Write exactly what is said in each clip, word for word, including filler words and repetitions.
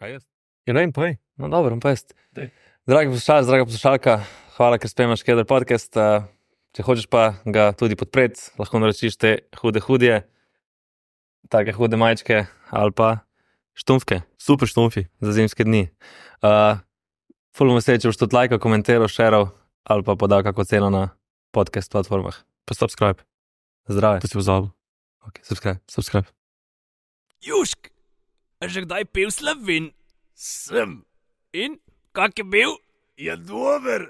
Kaj jaz? Ja, ne vem, povej. No, dobro, pa jaz. Daj. Dragi poslušalec, draga poslušalka, hvala, ker spremljaš Keder podcast. Uh, če hočeš pa ga tudi podpreti, lahko naročiš te hude hudje, take hude majčke ali pa štumfke. Super štumfi. Za zimske dni. Uh, ful bom vesel, če boš tudi lajkal, komentiral, šeral ali pa podal kako ceno na podcast platformah. Pa subscribe. Zdrave. To si pozabil. Ok, subscribe. Subscribe. Južk, a že kdaj pil Slovin? Sem. In, kak je bil? Je dober.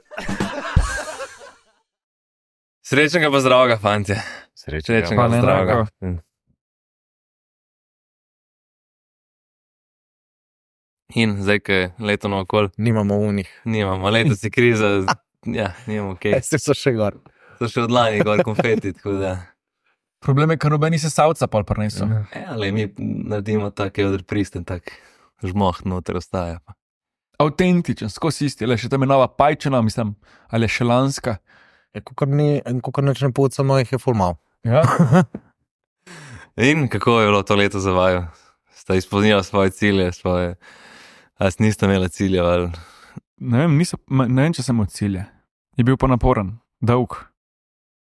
Srečnega pa zdravega, fantje. Srečnega Pa pa ne zdravega. In zdaj, ko je leto naokol, Nimamo unih. nimamo, letos je kriza, ja, nimamo kaj. Esti so še gor. So še od lani gor konfeti, tako da. Problem je, ker nobeni se savca pol prinesel. Ja, ali mi naredimo tak odr pristen, tak žmoh noter ostaja. Pa. Avtentičen, skozi isti, le še tam je nova pajčena, mislim, ali je še lanska. Ja, kukor ni, kukor neč ne pucamo, jih je ful mal. Ja. In kako je bilo to leto za vaju? Sta izpolnila svoje cilje, svoje, a niste imela ciljev ali... Ne vem, niso, ma- ne vem, če sem od cilja. Je bil pa naporen, dolg.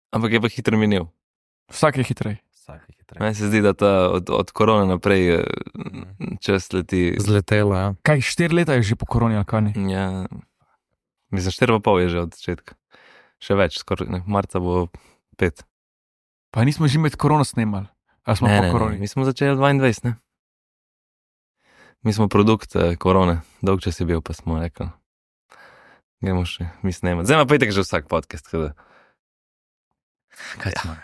Ampak je pa hitro minil. Vsak je hitrej. Vsak je hitrej. Meni se zdi, da ta od, od korone naprej eh, čas leti... Zletelo, ja. Kaj, štiri leta je že po koroni, ali kaj ni? Ja, mislim, štiri pa pol je že od začetka. Še več, skoraj, ne, marca bo pet. Pa nismo že med korono snemali. Ali smo Ne, po ne, koroni? ne, mi smo začeli dvaindvajset, ne? Mi smo produkt eh, korone, dolg čas je bil, pa smo rekli, gremo še, mi snemati. Zdaj ima pa itak že vsak podcast, tako da... Kaj smo?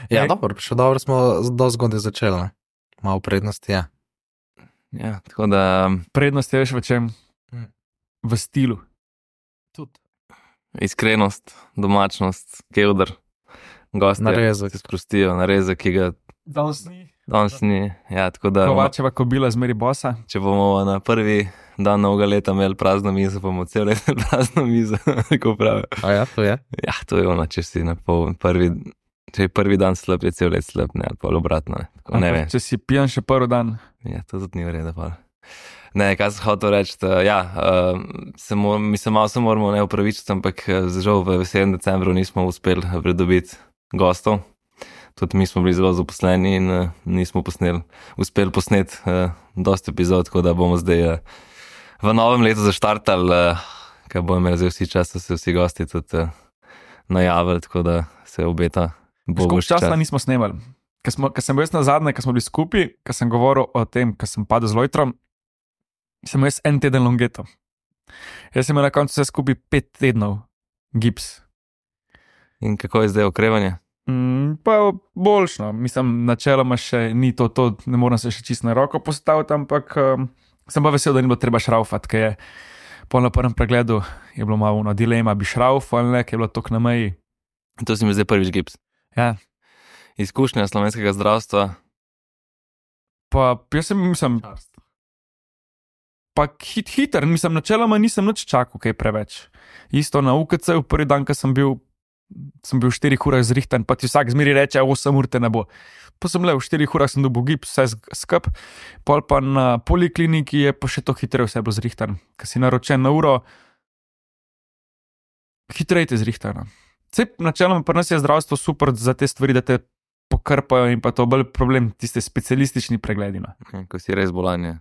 Ja, Ej. dobro, še dobro smo do zgodaj začeli. ne. Malo prednosti, ja. Ja, tako da Prednost je veš v čem? Mm. V stilu. Tudi. iskrenost, domačnost, kevdr, gosti Narezek. se sprostijo, narezek, ki ga Danes ni. danes ni. Ja, tako da Kovačeva kobila zmeri bosa. če bomo na prvi dan novega leta imeli prazno mizo, pa bomo cel let imeli prazno mizo, tako pravijo. A ja, to je. Ja, to je ono, če si na pol, prvi, če je prvi dan slab, je cel let slab, ne, ali pa obratno, ne. Tako, ne vem. Če si pijan še prvi dan. Ja, to tudi ni v redu, pa. Ne, kaj sem hotel reči, da, ja, uh, se mo, mi se malo se moramo ne upravičiti, ampak eh, žal v veselem decembru nismo uspeli pridobiti gostov. Tudi mi smo bili zelo zaposleni in uh, nismo posneli, uspeli posneti uh, dosti epizod, tako da bomo zdaj uh, v novem letu zaštartali, uh, ker bomo imeli zdaj vsi čas, da se vsi gosti tudi uh, najavili, tako da se obeta. bo Koliko boljši časa čas. nismo snemali? Ker smo- ker sem bil jaz na zadnje, ker smo bili skupaj, ker sem govoril o tem, ker sem padel z lojtrom, sem imel jaz en teden longeto. Jaz sem imel na koncu vse skupaj pet tednov gips. In kako je zdaj okrevanje? Mm, pa boljšno, mislim, načeloma še ni to, to ne moram se še čisto na roko postaviti, ampak um, sem pa vesel, da ni bilo treba šraufati, ker je po na prvem pregledu je bilo malo ono dilema, bi šraufal ali ne, ker je bilo tok na meji. To si mi zdaj prvič gips. Ja, Izkušnja slovenskega zdravstva. pa jaz sem, mislim, pa hit, hiter, mislim, načeloma nisem nič čakal, kaj preveč. Isto na U K C, v prvi dan, ko sem bil, sem bil v štirih urah zrihtan, pa ti vsak zmeri reče, osem ur te ne bo. Pa sem le, v štirih urah sem dobil gips, vse sk- skup, pol pa na polikliniki je pa še to hitreje vse bilo zrihtan. Ker si naročen na uro, hitreje te zrihtano. Vse načeloma pri nas je zdravstvo super za te stvari, da te pokrpajo in pa to bolj problem, tiste specialistični pregledi. No. Ja, ko si res bolanje.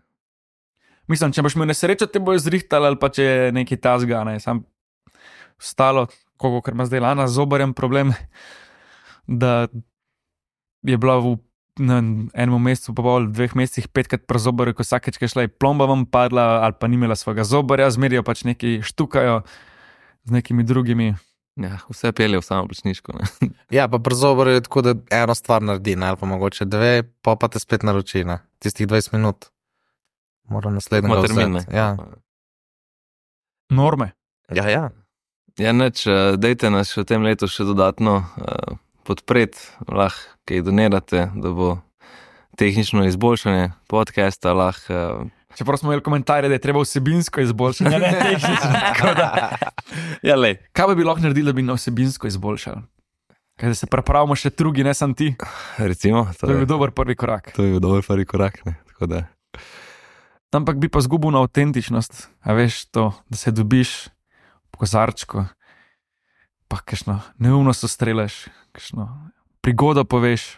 Mislim, če boš imel nesrečo, te bojo zrihtali ali pa če je nekaj tasga, ne, sam stalo, koliko, ker ima zdaj Lana z zobarjem problem, da je bila v na enem mesecu, pa pol, dveh mesecih petkrat pri zobarju, ko vsakeč, ko je šla, je plomba vam padla ali pa ni imela svojega zobarja, zmerijo pač neki štukajo z nekimi drugimi. Ja, vse pelje v samo plačniško. Ne? Ja, pa pri zoboru je tako, da eno stvar naredi, ne, ali pa mogoče dve, pa pa te spet naroči, ne. Tistih dvajset minut. Moram naslednjega Ima termin, ne? vzeti. Ja. Norme. Ja, ja. Ja, neč, eh, dejte nas še v tem letu še dodatno uh, podpreti, lahko kaj donirate, da bo tehnično izboljšanje podcasta lahko. Uh, Čeprav smo imeli komentarje, da je treba vsebinsko izboljšati, ne tehnično. Tako da, ja, lej. kaj bi lahko naredili, da bi na vsebinsko izboljšali? Kaj da se prepravimo še drugi, ne sam ti. Recimo, to, To je je, bil dober prvi korak. to je bil dober prvi korak. Ne? Tako da. ampak bi pa zgubil na avtentičnost, a veš to, da se dobiš v kozarčku, pa kakšno neumnost ustrelaš, kakšno prigodo poveš,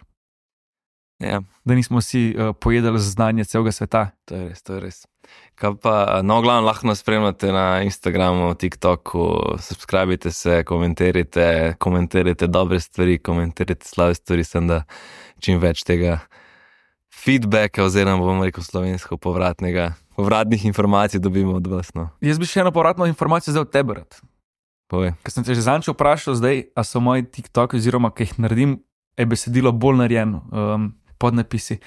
Ja, da nismo vsi uh, pojedali znanje celega sveta. to je res, to je res. Kaj pa, no, glavno lahko nas spremljate na Instagramu, TikToku, subskrbite se, komentirajte, komentirajte dobre stvari, komentirajte slabe stvari, sem da čim več tega feedbacka, oziroma bomo rekel slovensko povratnega, povratnih informacij dobimo od vas, no. Jaz bi še eno povratno informacijo zdaj od tebe rad. Povej. Ker sem te že zanjčo vprašal zdaj, a so moji TikToki, oziroma kaj jih naredim, je besedilo bolj narejeno, um, podnapisi.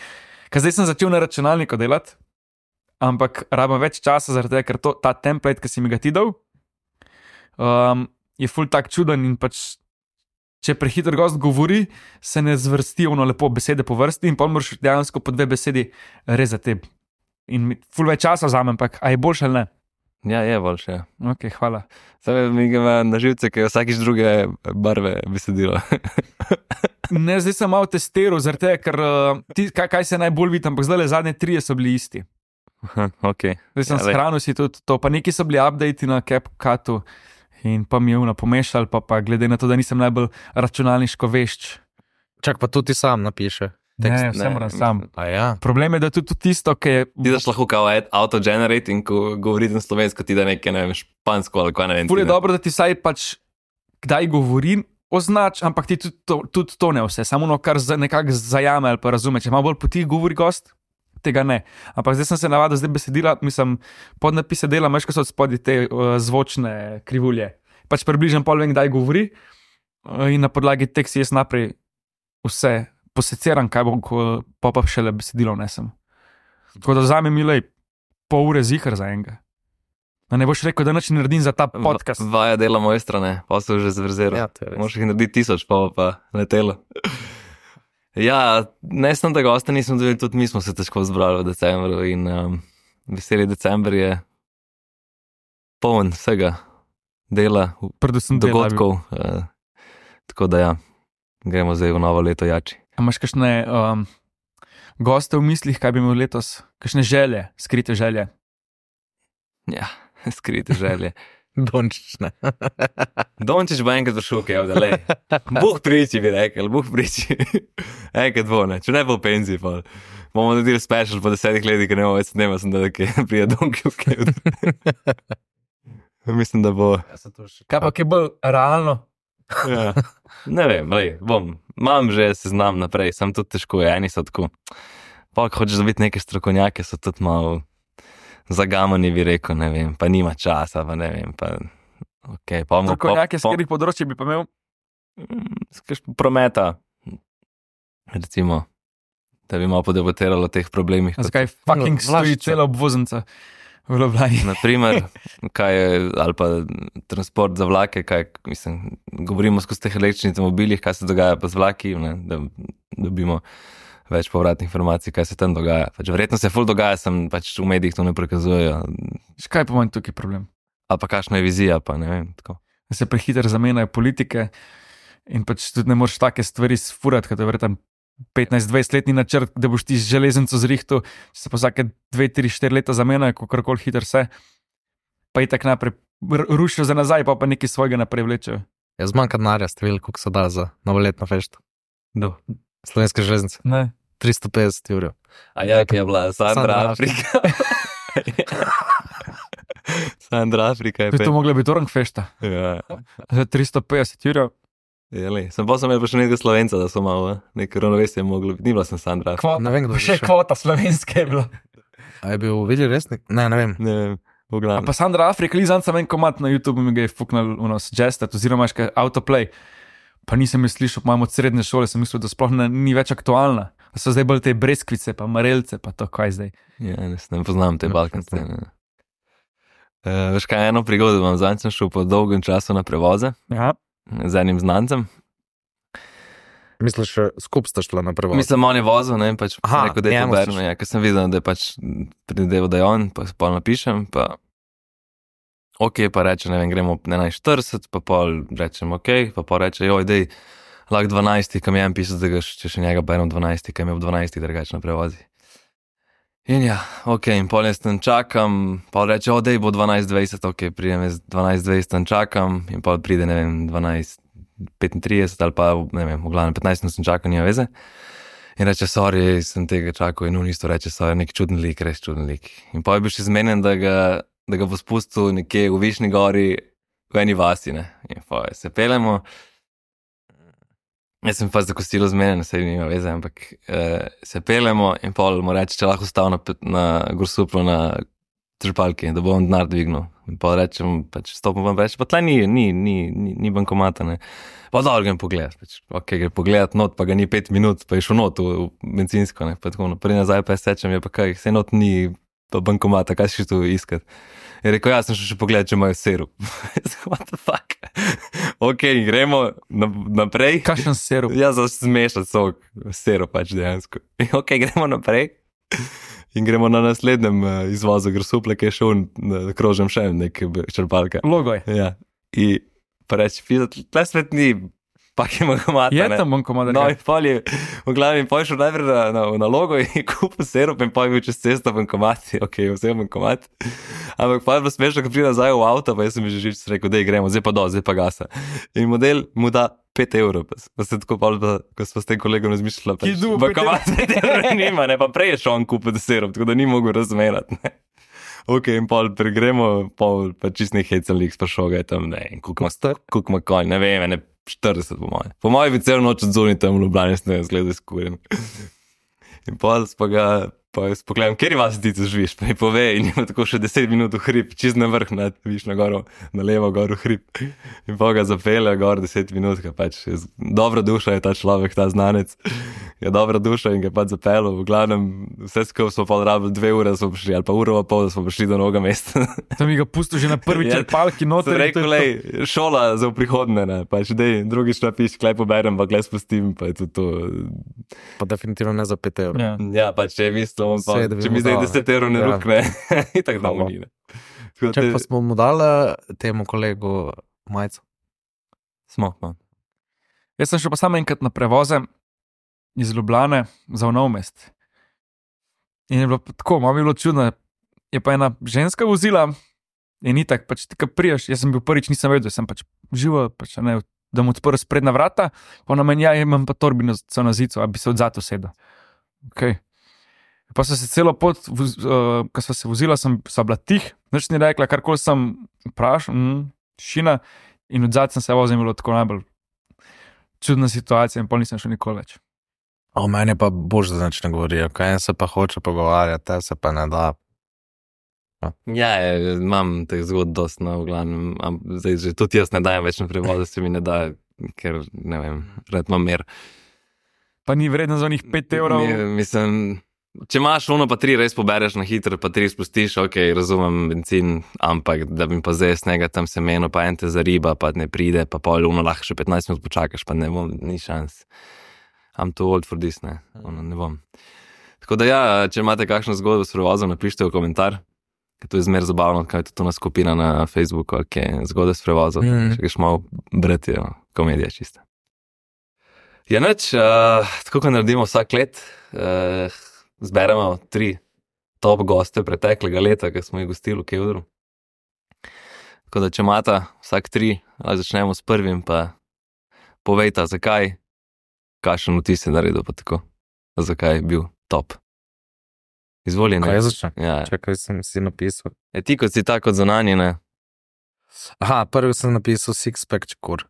Ker zdaj sem začel na računalniku delati, ampak rabim več časa zaradi tega, ker to, ta template, ki si mi ga ti dal, um, je ful tak čuden in pač, če prehiter gost govori, se ne zvrsti ono lepo besede po vrsti in pa moraš dejansko po dve besedi rezati. In mi ful več časa vzamem, ampak a je boljše ali ne? Ja, je boljše, ja. Ok, hvala. Zdaj mi ga na živce, ker je vsakič druge barve besedilo. Ne, zdaj sem malo testiral, zaradi tega, ker uh, ti, kaj, kaj se najbolj vidi, ampak zdaj le zadnje trije so bili isti. Ok. Zdaj sem Ja, ja, lej. shranil si tudi to, pa neki so bili updati na CapCutu in pa mi je uno pomešal, pa, pa glede na to, da nisem najbolj računalniško vešč. Čak pa tudi ti sam napiše. Ne, Tekst. vse moram sam. A ja. Problem je, da tudi tisto, ki je Ti daš lahko kao auto-generate in ko govorite na slovensko, ti da nekaj, ne vem, špansko ali kaj, ne vem. ful je ti da- dobro, da ti saj pač kdaj govorim, označ, ampak ti tudi to, tudi to ne vse, samo ono, kar za- nekako zajame ali pa razume. Če malo bolj po tih govori gost, tega ne. Ampak zdaj sem se navadil, zdaj besedila, mislim, podnapise dela, meška so od spodaj te uh, zvočne krivulje. Pač približno pol vem, kdaj govori uh, in na podlagi teh si jaz naprej vse poseciram, kaj bom, ko pa pa šele besedilo nesem. Tako da vzame mi lej pol ure zihar za enega. Da ne boš rekel, da nič ne naredim za ta podcast. Va- Vaja dela moje strane, pa so že zvrzeral. Ja, to je res. Možeš jih narediti tisoč, pa bo pa letelo. Ja, ne samo da gosta nismo dobili, tudi mi smo se težko zbrali v decembru in um, veseli december je poln vsega dela, Predvsem dela, dogodkov. Uh, tako da ja, gremo zdaj v novo leto jači. A imaš kakšne um, goste v mislih, kaj bi imel letos? Kakšne želje, skrite želje? Ja, skrite želje. Dončič, ne. Dončić bo enkrat prišel, kaj da le. Bog priči, bi rekel, Bog priči. Enkrat bo, ne, če ne bo v penziji, pa bomo naredili special po desetih letih, ker ne bomo več snema, sem da nekaj prije Dončić, kaj. Mislim, da bo. Kaj pa, ki je bolj realno? Ja. Ne vem, lej, bom. Imam že seznam naprej, sem tudi težko, je, eni so tako. Pa, ko hočeš dobiti neke strokovnjake, so tudi malo zagamani, bi rekel, ne vem, pa nima časa, pa ne vem, pa ok, pa bomo Strokovnjake, s katerih področji bi pa imel? Skaš prometa, recimo, da bi malo podebatiralo o teh problemih. kot- Zakaj fucking stoji Vlašča. cela obvoznica v Ljubljani? Naprimer, kaj je, ali pa transport za vlake, kaj, mislim, govorimo skozi teh električnih avtomobilih, kaj se dogaja pa z vlaki, ne, da dobimo več povratnih informacij, kaj se tam dogaja. Pač verjetno se ful dogaja, sem pač v medijih to ne prikazujejo. Kaj pa manj tukaj problem? Ali pa kakšna je vizija, pa ne vem, tako. Da se prehiter zamenjajo politike in pač tudi ne moreš take stvari sfurati, ker je verjetno petnajst dvajset letni načrt, da boš ti z železnico zrihtu, če se pa vsake dve tri štiri leta zamenjajo, kakorkoli hiter se, pa i tak naprej r- rušijo za nazaj, pa pa nekaj svojega naprej vlečejo. Jaz zmanjka denarja, ste videli, koliko so dali za novoletno fešto. Do. Slovenske železnice. Ne. tristo petdeset evrov. A ja, ki je bila Sandra Sandra Afrika. Sandra Afrika je To je pe... mogla biti orang fešta. Ja. Za tristo petdeset evrov. Jeli. Sem pa sem imel pa še nekaj Slovenca, da so malo, nekaj ravnovesje moglo biti. Ni bila sem Sandra Afrika. Ne vem, kdo je Še šel. kvota slovenske je bila. A je bil videl resnik? Ne, ne vem. Ne vem, v A glavnem. pa Sandra Afrika, Lizan sem en komat na YouTube mi ga je fuknal uno suggested, oziroma imaš kaj autoplay. Pa nisem jo slišal, pa imam od srednje šole, sem mislil, da sploh ne, ni več aktualna. Da so zdaj bolj te breskvice, pa marelce, pa to kaj zdaj. Ja, ne, ne poznam te Ne, balkanske. ne. Ne. Uh, veš kaj, eno prigodo imam, zadnjič sem šel po dolgem času na prevoze Ja. z enim znancem. Misliš, skup sta šla na prvo? Mislim, on je vozil, ne, pač Aha, rekel, da je to njemu si Berno, ja, ker sem videl, da je pač prideval, da je on, pa pol napišem, pa ok, pa reče, ne vem, gremo ob enajst štirideset, pa pol rečem ok, pa pol reče, joj, dej, lahko dvanajsti, kam je en pisal, da ga še, če še njega berem dvanajsti, kam je ob dvanajsti drugače na prevozi. In ja, ok, in pol jaz tam čakam, pol reče, o, dej bo dvanajst dvajset, ok, pridem jaz dvanajst dvajset tam čakam in pol pride, ne vem, dvanajst petintrideset ali pa, ne vem, v glavnem petnajst minut sem čakal, nima veze. In reče, sorry, sem tega čakal in on isto reče, sorry, nek čuden lik, res čuden lik. In pol je bil še zmenjen, da ga, da ga bo spustil nekje v Višnji gori, v eni vasi, ne. In pol se pelemo. Jaz sem pa za kosilo zmenjen, saj nima veze, ampak eh, se pelemo in pol mu reče, če lahko stav na, na Gorsuplu na črpalki, da bom denar dvignil. In pol rečem, pač stopim vam reči, pa tle ni, ni, ni, ni, ni bankomata, ne. Pa dobro grem pogledat, pač, ok, gre pogledat not, pa ga ni pet minut, pa je šel not v, v bencinsko, ne, pa tako naprej nazaj, pa je sečem, je pa kaj, vse not ni pa bankomata, kaj si tu iskat. Je rekel, ja, sem šel še pogledat, če imajo sirup. What the fuck? Ok, gremo naprej. Kakšen sirup? Ja, za zmešati sok, sirup pač dejansko. Ok, gremo naprej. In gremo na naslednjem uh, izvozu Grsuple, ki je šel na krožem še nek črpalka. Logo je. Ja. In pa reči, tle svet ni, pak je bankomata. Je tam bankomata. No, in pol je, v glavnem, pol je šel najprej na, na, na logo in kupil sirup in pol je bil čez cesto bankomat. Ok, vse je bankomat. Ampak pa je bilo smešno, ko pride nazaj v avto, pa jaz sem mi že žič rekel, dej gremo, zdaj pa do, zdaj pa gasa. In model mu da pet evrov, pa se tako pa, ko smo s tem kolegom razmišljali, pač, bankomat pet evrov nima, ne, pa prej je šel on kupiti sirup, tako da ni mogel razmerati, ne. Ok, in pol pregremo, pol pa čist nek hecel lik sprašal ga je tam, ne, in kuk ima konj, ne vem, ne, štirideset po moje. Po moje bi celo noč odzuni tam v Ljubljani, ne vem, zgleda skuren. In pol pa ga, pa jaz pogledam, kjer vas ti tu živiš, pa mi pove in ima tako še deset minut v hrib, čist na vrh, na, viš na goro, na levo gor v hrib. In pa ga zapelje gor deset minut, ka pač, je, dobra duša je ta človek, ta znanec. Je dobra duša in ga pač zapelo. V glavnem, vse skupaj smo pa rabili dve ure, da smo prišli, ali pa uro pa pol, da smo prišli do novega mesta. Tam mi ga pustil že na prvi črpalki noter. Sem rekel, lej, šola za v prihodne, ne, pač dej, drugič napiš, klej poberem, pa klej spustim, pa je to to. Pa definitivno ne za pet evrov. Ja. Ja, pač če mislim, pa, Sej, da bi če mu mi zdaj dal, ne. deset evrov ne Ja. rukne, in tako da mu ni, ne. Tako da Čak te- pa smo mu dali temu kolegu majico. Smo, no. Jaz sem šel pa samo enkrat na prevoze iz Ljubljane za v Nov Mest. In je bilo pa tako, malo mi je bilo čudno. Je pa ena ženska vozila in itak, pač ti kad priješ, jaz sem bil prvič, nisem vedel, sem pač živo, pač ne, da mu odprl sprednja vrata, pa ona meni, ja, imam pa torbino so na zico, a bi se odzad usedel. Ok. Pa so se celo pot, voz, uh, ko sva se vozila, sem, sva bila tih, nič ni rekla, karkoli sem vprašal, mm, tišina, in odzad sem se vozil, bilo tako najbolj čudna situacija in pol nisem šel nikoli več. O, meni je pa bož, da nič ne govorijo, kaj se pa hoče pogovarjati, te se pa ne da. Ja, je, imam teh zgodb dost, no, v glavnem, am, zdaj že tudi jaz ne dajem več na prevoze, se mi ne da, ker, ne vem, rad imam mer. Pa ni vredno za onih pet evrov. Mi, mislim, če imaš ono pa tri res pobereš na hitro, pa tri spustiš, ok, razumem benzin, ampak da bi pa zdaj snega tam semeno, pa en te zariba, pa ne pride, pa pol ono lahko še petnajst minut počakaš, pa ne bom, ni šans. I'm too old for this, ne, ono ne bom. Tako da ja, če imate kakšno zgodbo s prevozom, napišite v komentar, ker to je zmer zabavno, kaj je to na skupina na Facebooku, ok, zgodbe s prevozom, Mhm. če greš malo brati, jo, komedija čista. Ja, nič, uh, tako kot naredimo vsak let, uh, zberemo tri top goste preteklega leta, ki smo jih gostili v Kevdru. Tako da, če imata vsak tri, ali začnemo s prvim, pa povejta, zakaj, kakšen vtis je naredil, pa tako, zakaj je bil top. Izvoli, ne? Kaj jaz začnem? Ja, Čakaj, sem si napisal. je ti kot si tako zunanji, ne? Aha, prvi sem napisal Sixpack Čekur.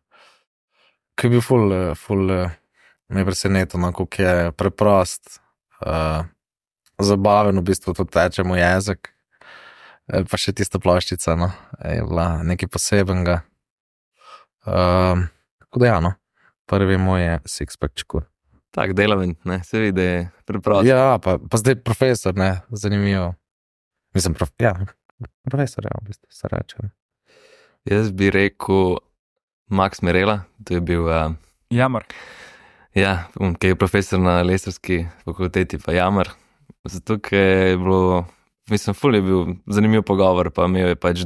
Ki je bil ful, eh, ful, eh, me je presenetil, no, koliko je preprost, uh, zabaven, v bistvu to teče mu jezik. Eh, Pa še tista ploščica, no, je bila nekaj posebenega. Um, tako da ja, no, prvi moj je Sixpack Čekur. Tak delaven, ne? Se vidi, da je preprost. Ja, pa, pa zdaj profesor, ne, zanimivo. Mislim, prof, ja, profesor, ja, v bistvu se reče. ne. Jaz bi rekel Max Merela, to je bil, uh, Jamar. ja, um, ki je profesor na lesarski fakulteti, pa Jamar. Zato, ker je bilo, mislim, ful je bil zanimiv pogovor, pa imel je pač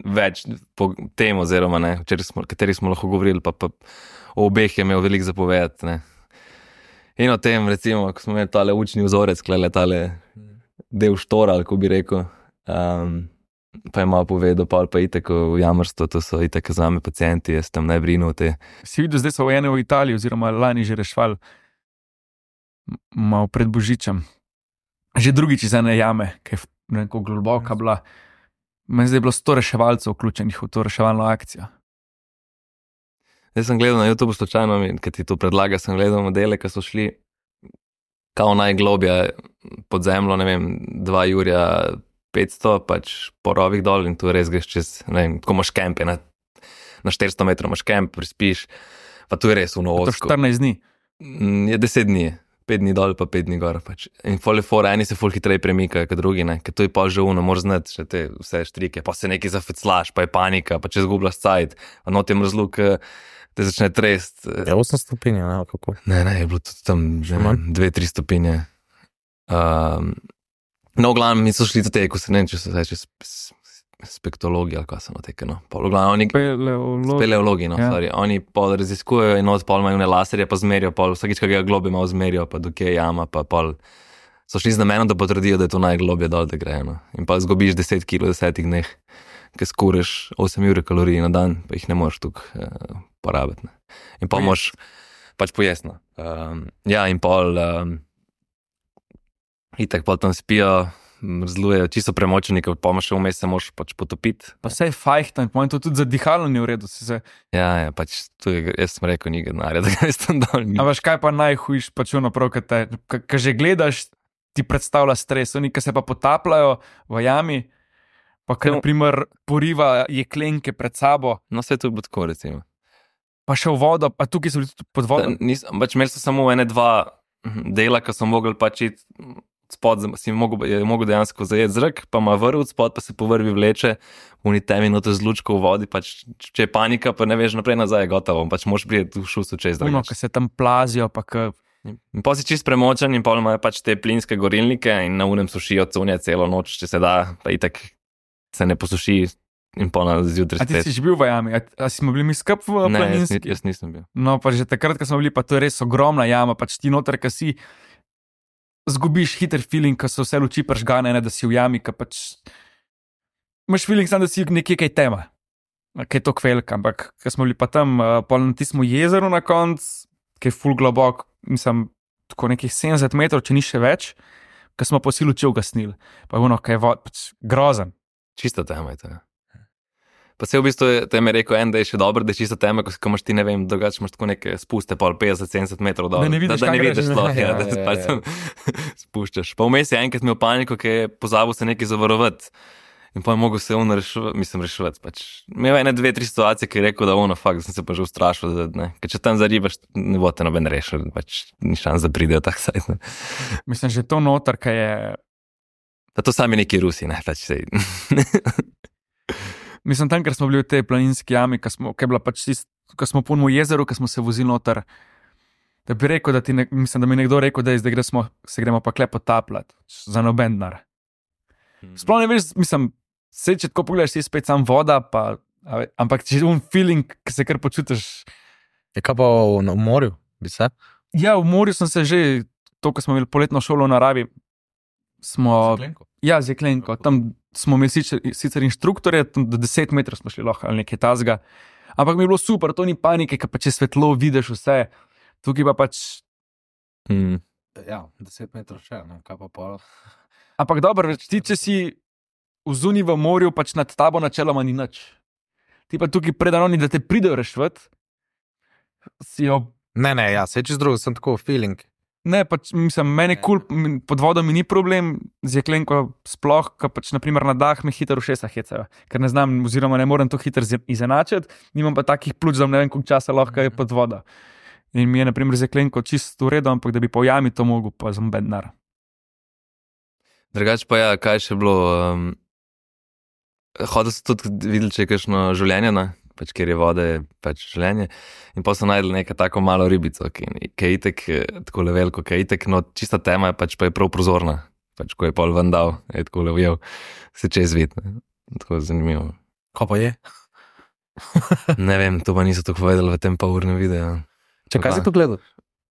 več po tem, oziroma ne, o kateri smo, kateri smo lahko govorili, pa, pa o obeh je imel veliko zapovedati, ne. In o tem, recimo, ko smo imeli tale učni vzorec, klele tale del štora, ali ko bi rekel. Um, pa je malo povedal, pa pa itek v jamrstvo, to so itek za me pacijenti, jaz tam ne brinu te. Si videl, zdaj so vojene v Italiji, oziroma lani že rešvali, malo pred Božičem. Že drugič iz ene jame, ki je neko globoka bila. Meni zdaj je bilo sto reševalcev vključenih v to reševalno akcijo. Zdaj sem gledal na YouTube slučajno, ker ti to predlaga, sem gledal modele, ki so šli kao najglobje pod zemljo, ne vem, dva jurja petsto, pač po rovih dol in tu res greš čez, ne vem, tako imaš kempe, na, na štiristo metrov imaš kemp, prispiš, pa tu je res uno To osko. štirinajst dni. Je deset dni, pet dni dol pa pet dni gor. Pač. In foli fora, eni se ful hitreje premikajo kot drugi, ne, ker to je pa že uno, moraš znati še te vse štrike, pa se nekaj zafeclaš, pa je panika, pa če zgubljaš cajt, pa notem razluk, te začne trest. Ja, osem stopinj, ne, kako. Ne, ne, je bilo tudi tam že dve, tri stopinje. Um, no, v glavnem, mi so šli tudi te, ko se ne vem, če se reče spektologi ali kaj so noteke, no. Pol, v glavnem, oni Speleologi. speleologi, no, Ja. sorry. Oni pol raziskujejo in od pol imajo one laserje, pa zmerijo, pol vsakič, kaj ga globi malo zmerijo, pa dokje je jama, pa pol so šli z namenom, da potrdijo, da je to najglobje dol, da gre, no. In pa zgubiš deset kil v desetih dneh, ker skuriš osem ur kalorij na dan, pa jih ne moreš tukaj uh, porabiti, ne. In pa moraš pač pojesno. Um, ja, in pol um, itak pol tam spijo, zlujejo, čisto premočeni, ker pa še vmes se moraš pač potopiti. Pa vse je fajhtan, po mojem to tudi za dihalo ni v redu. Si se... Ja, ja, pač tu je, jaz sem rekel, ni denarja, da greš tam dol. A veš, kaj pa najhujš, pač ono prav, kad te, kad že gledaš, ti predstavlja stres, oni, ki se pa potapljajo v jami, pa ki, No. naprimer, poriva jeklenke pred sabo, No, vse to bo tako, recimo. pa še v vodo, pa tukaj so bili tudi pod vodo. Nis, pač imeli so samo ene dva dela, ki so mogli pač iti spod, si mogel, je mogel dejansko zajeti zrak, pa ima vrv spod, pa se po vrvi vleče, v temi noto z lučko v vodi, pač če je panika, pa ne veš naprej nazaj, je gotovo, pač moraš priti v šusu čez Uno, drugače. ki se tam plazijo, pa ki... In pa si čist premočen in pol imajo pač te plinske gorilnike in na unem sušijo cunje celo noč, če se da, pa itak se ne posuši in pol na zjutraj A ti spet. si že bil v jami? A, a smo bili mi skup v Ne, jaz, planinski? ni- jaz nisem bil. No, pa že takrat, ko smo bili, pa to je res ogromna jama, pač ti noter, ki si zgubiš hiter feeling, ko so vse luči pržgane, ne da si v jami, ki pač imaš feeling sam, da si nekje kaj tema, kaj je to kvelka, ampak ko smo bili pa tam, uh, pol na tistem jezeru na konc, ki je full globok, mislim, tako nekih sedemdeset metrov, če ni še več, ko smo po si luči ugasnili, pa je ono, kaj je vod, pač grozen. Čisto tema je to. ja. Pa se v bistvu tem je rekel en, da je še dobro, da je čisto tema, ko, ko imaš ti, ne vem, drugače imaš tako neke spuste, pol petdeset sedemdeset metrov dol. Da ne vidiš, da, da ne kam vidiš greš. sploh, Ja, ja, da ja, se ja, pač ja. tam spuščaš. Pa vmes je enkrat imel paniko, ki je pozabil se nekaj zavarovati. In pa je mogel se on reševati, mislim, reševati. Pač. Imel je ene, dve, tri situacije, ki je rekel, da ono, fakt, da sem se pa že ustrašil, da ne. Ker če tam zaribaš, ne bo te noben rešil, pač ni šans, da pridejo tak sajt. Ne. Mislim, že to noter, ki je, Pa to sami neki Rusi, ne, pač sej. mislim, tam, ker smo bili v tej planinski jami, ki smo, ki je bila pač tist, ko smo po jezeru, ki smo se vozili noter, da bi rekel, da ti, ne, mislim, da mi je nekdo rekel, da je zdaj gremo, se gremo pa kle potapljati, za noben denar. Sploh ne veš, mislim, se če tako pogledaš, si spet sam voda, pa, a ve- ampak če je un feeling, ki se kar počutiš. Je kaj pa v, na morju, bi se? Ja, v morju sem se že, to, ko smo imeli poletno šolo v naravi, smo, ja, z jeklenko, tam smo imeli sicer, sicer inštruktorje, tam do deset metrov smo šli lahko ali nekaj tazga, ampak mi je bilo super, to ni panike, ker pa če svetlo vidiš vse, tukaj pa pač, Mm. Ja, deset metrov še, no, kaj pa pol. ampak dobro, več ti, če si v zuni v morju, pač nad tabo načeloma ni nič. Ti pa tukaj predano, da te pridejo reševati, si jo. Ne, ne, ja, se čez drugo, sem tako feeling. Ne, pač, mislim, meni kul, cool, pod vodo mi ni problem, z jeklenko sploh, ker pač naprimer na dah me hitro ušesa hecajo, ker ne znam, oziroma ne morem to hitro z- izenačiti, nimam pa takih pljuč, da ne vem, koliko časa lahko je pod vodo. In mi je naprimer z jeklenko čisto v redu, ampak da bi po jami to mogel, pa za noben denar. Drugače pa ja, kaj še bilo? Um, hodil so tudi videli, če je kakšno življenje, ne? Pač kjer je vode, je pač življenje. In pa so najdeli neko tako malo ribico, ki, ki je itek, eh, tako levelko, ki je itek, no čista tema je pač pa je prav prozorna. Pač ko je pol ven dal, je tako levjel, se čez vid. Ne? Tako zanimivo. Kaj pa je? Ne vem, to pa niso tako povedali v tem pa urnem videu. Če kaj si to gledal?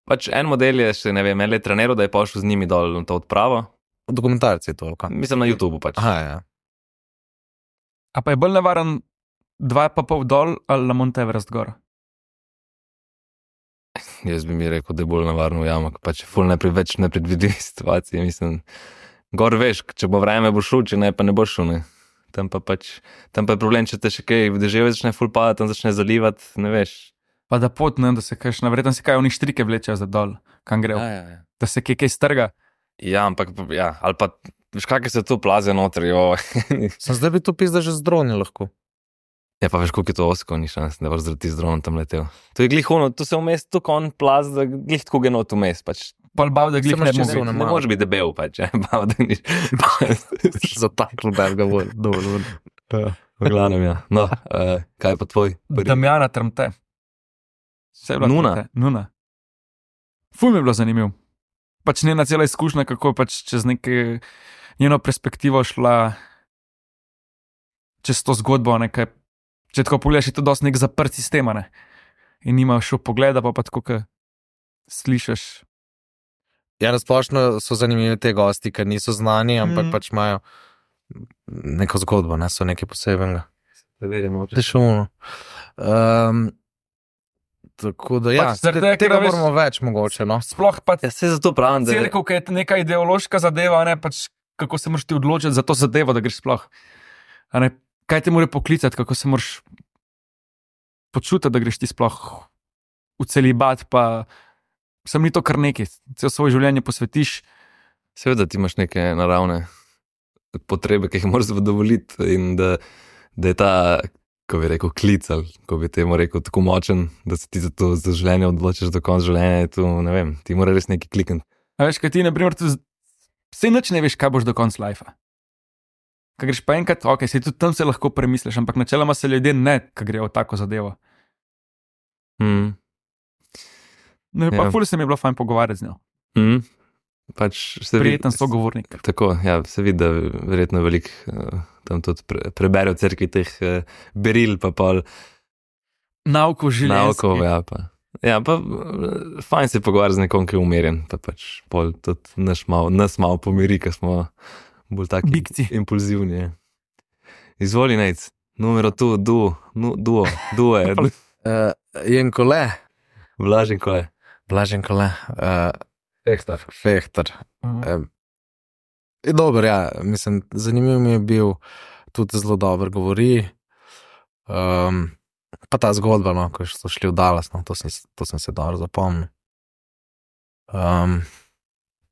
Pač en model je še, ne vem, en let treniral, da je pošel z njimi dol na to odpravo. Dokumentarci toliko. Mislim na YouTubu pač. Aha, ja. A pa je bolj nevaren dva pa pol dol ali na Mount Everest gor? Jaz bi mi rekel, da je bolj navarno v jamo, pač je ful najprej več nepredvidljivih situacij. Mislim, gor veš, če bo vreme bo šlo, če ne, pa ne bo šlo, ne. Tam pa pač, tam pa je problem, če te še kaj v deževju začne ful padati, tam začne zalivati, ne veš. Pa da pot, ne, da se kaj, navredno se kaj oni štrike vlečejo za dol, kam grejo, Ja, ja, ja. da se kaj, kaj strga. Ja, ampak, ja, ali pa, veš, kakaj se tu plaze noter, jo. Sem zdaj bi to pizda že z droni lahko. Ja, pa veš, koliko je to osko, ni šans, da boš zaradi z dronom tam letel. To je glih ono, tu se vmes, tu kon plaz, da glih tako genot vmes, pač. Pol bav, da glih Samo ne še mogo. zelo Ne malo. moreš biti debel, pač, ja, bav, da niš. Zatakl belga bolj. Dovolj. V glavnem, ja. No, uh, kaj je pa tvoj prvi? Damjana Trmte. Vse je bila Nuna. Trmte. Nuna. Ful mi je bilo zanimiv. Pač njena cela izkušnja, kako je pač čez neke njeno perspektivo šla čez to zgodbo, nekaj, če tako pogledaš, je to dosti nek zaprt sistem, ne? In nima šel pogleda, pa pa tako, ko slišiš. Ja, nasplošno so zanimivi te gosti, ker niso znani, ampak Mhm. pač imajo neko zgodbo, ne, so nekaj posebnega. Da verjamo, To je šumno. Um, tako da, ja, Pač zaradi te- tega, tega ker veš- moramo več mogoče, no. Sploh pa Ja, se zato pravim, da je... cerkev, ki je neka ideološka zadeva, ne, pač kako se moraš ti odločiti za to zadevo, da greš sploh. A ne, kaj te mora poklicati, kako se moraš počutiti, da greš ti sploh v celibat, pa sem ni to kar nekaj, cel svoje življenje posvetiš. Seveda ti imaš neke naravne potrebe, ki jih moraš zadovoljiti in da, da je ta, ko bi rekel, klic ali ko bi temu rekel, tako močen, da se ti za to za življenje odločiš do konca življenja, je tu, ne vem, ti mora res nekaj klikniti. A veš, kaj ti, na primer, vse nič ne veš, kaj boš do konca lajfa. Kaj greš pa enkrat, ok, se tudi tam se lahko premisliš, ampak načeloma se ljudje ne, kaj grejo v tako zadevo. Mm. Ne, pa Ja. ful se mi je bilo fajn pogovarjati z njo. Mm. Pač se Prijeten vidi- sogovornik. Tako, ja, se vidi, da verjetno veliko uh, tam tudi pre, prebere v cerkvi teh uh, beril, pa pol Nauko življenja. naukov, ja, pa. Ja, pa uh, fajn se pogovarjati z nekom, ki je umirjen, pa pač pol tudi naš mal, nas malo pomiri, ker smo bolj taki Bikci. impulzivni. Ja. Izvoli, Nejc, numero tu, duo, nu, duo, duo je, Uh, Jenko le, Blažen kole. Blaženko le, uh, Fehtar. Fehtar. Mhm. Um, je dober, ja, mislim, zanimiv mi je bil, tudi zelo dobro govori. Um, pa ta zgodba, no, ko so šli v Dallas, no, to sem, to sem se dobro zapomnil. Um,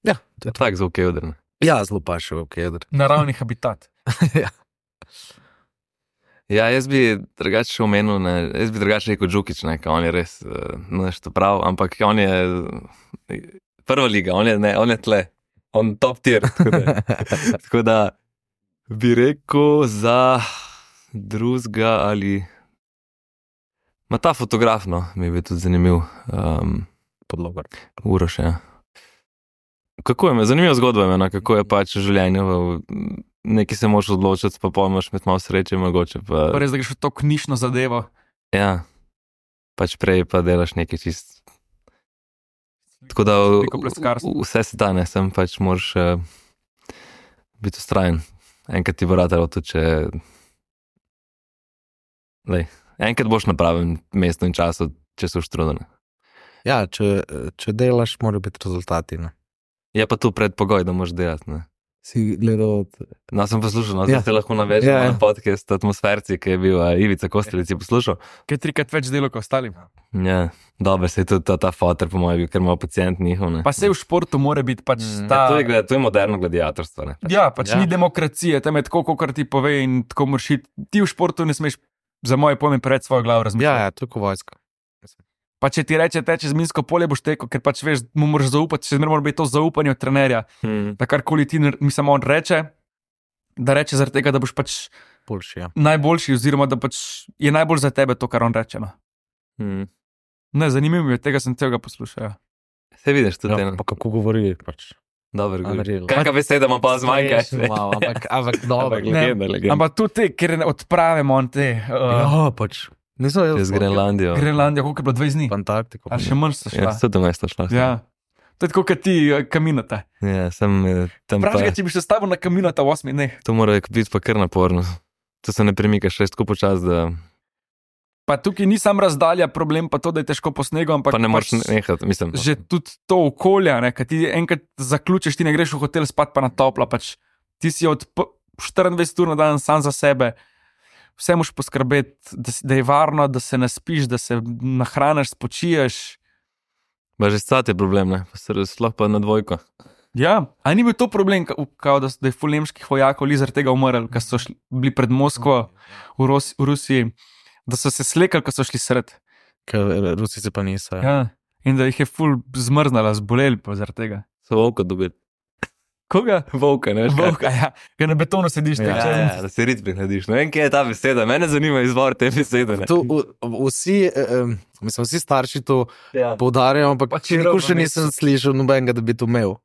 ja, to je to. Tak zvok je odrn. Ja, zelo pa še v Kedr. Naravni habitat. Ja. Ja, jaz bi drugače še omenil, ne, jaz bi drugače rekel Džukić, ne, ker on je res uh, nešto prav, ampak on je uh, prva liga, on je, ne, on je tle, on top tier. Tako da, tako da bi rekel za drugega ali. Ma ta fotograf, no, mi je bil tudi zanimiv. Um, Podlogar. Uroš, ja. Kako je, zanimiva zgodba je, no, kako je pač življenje. V, nekaj se moraš odločiti, pa pojmaš med malo sreče, mogoče pa. Pa res, da greš v to knjižno zadevo. Ja, pač prej pa delaš nekaj čist. Tako da v- Veliko pleskarstva. v- vse se da, ne, sem pač moraš uh, biti ustrajen. Enkrat ti bo ratalo tudi, če. Lej, enkrat boš na pravem mestu in času, če so štrudene. Ja, če, če delaš, morajo biti rezultati. Ne? Je pa tu predpogoj, da moraš delati. Ne. Si gledal. No, sem poslušal, no, Ja. zdaj se lahko navežem Ja, ja, ja. na podcast Atmosferci, ki je bil uh, Ivica Kostelic, je poslušal. Kaj je trikrat več delo kot ostali. Ja, dobro, se je tudi ta, ta fotor, po mojem, bil, ker ima pacijent njihov. Ne. Pa se v športu mora biti pač Mm. ta. To je, gled- to je moderno gladiatorstvo. Ne. Ja, pač Ja. ja. Ni demokracije, tam je tako, kot ti pove in tako moraš iti. Ti v športu ne smeš, za moje pojme, pred svojo glavo razmišljati. Ja, ja, to je kot vojska. Pa če ti reče, teče z minsko polje, boš tekel, ker pač veš, mu moraš zaupati, še zmeraj mora biti to zaupanje od trenerja. Hmm. Da karkoli ti, nar- mislim, on reče, da reče zaradi tega, da boš pač Boljši, ja. najboljši, oziroma da pač je najbolj za tebe to, kar on reče. No. Hmm. Ne, zanimivo mi je, tega sem celega poslušal. Ja. Se vidiš tudi Ja, eno. pa kako govori, pač. Dobro, Unreal. kakšna beseda ima pa zmanjka. Malo, ampak, ampak dobro. Ampak legenda, legenda. Ampak tudi te, ker odpravimo on te. Uh, Ja, pač. Nisem jaz. Čez Grenlandijo. Grenlandija, koliko je bilo dvajset dni? Antarktiko. Ali še manj so šla. Ja, sedemnajst šla. Ja. To je tako, kot ti eh, kaminata. Ja, sem eh, tam pa. Vprašaj, če bi še stavil na kaminata v osmih dneh. To mora biti pa kar naporno. To se ne premika še tako počas, da Pa tukaj ni sam razdalja problem, pa to, da je težko po snegu, ampak pa ne moreš pač nehati, mislim. že tudi to okolje, ne, kad ti enkrat zaključiš, ti ne greš v hotel spat pa na toplo, pač ti si od p- štiriindvajset ur na dan sam za sebe, vse moš poskrbeti, da, si- da je varno, da se naspiš, da se nahraniš, spočiješ. Pa že scat je problem, ne? Pa se sploh pa na dvojko. Ja, a ni bil to problem, ka- kao, da, s- da je ful nemških vojakov li zaradi tega umrl, ker so šli, bili pred Moskvo v, Ros, v Rusiji, da so se slekali, ko so šli sred. Ker Rusi se pa niso. Ja. Ja. In da jih je ful zmrznala, zboleli pa zaradi tega. So volka dobili. Koga? Volka, ne veš kaj? Volka, ja, ker na betonu sediš. Ja, Ja, Ja, ja, da se rit prihladiš. Ne vem, kje je ta beseda. Mene zanima izvor te besede. Ne? To, v, vsi, um, mislim, vsi starši to Ja, poudarjajo, ampak Pa če nikoli rava še nisem slišal nobenega, da bi to imel.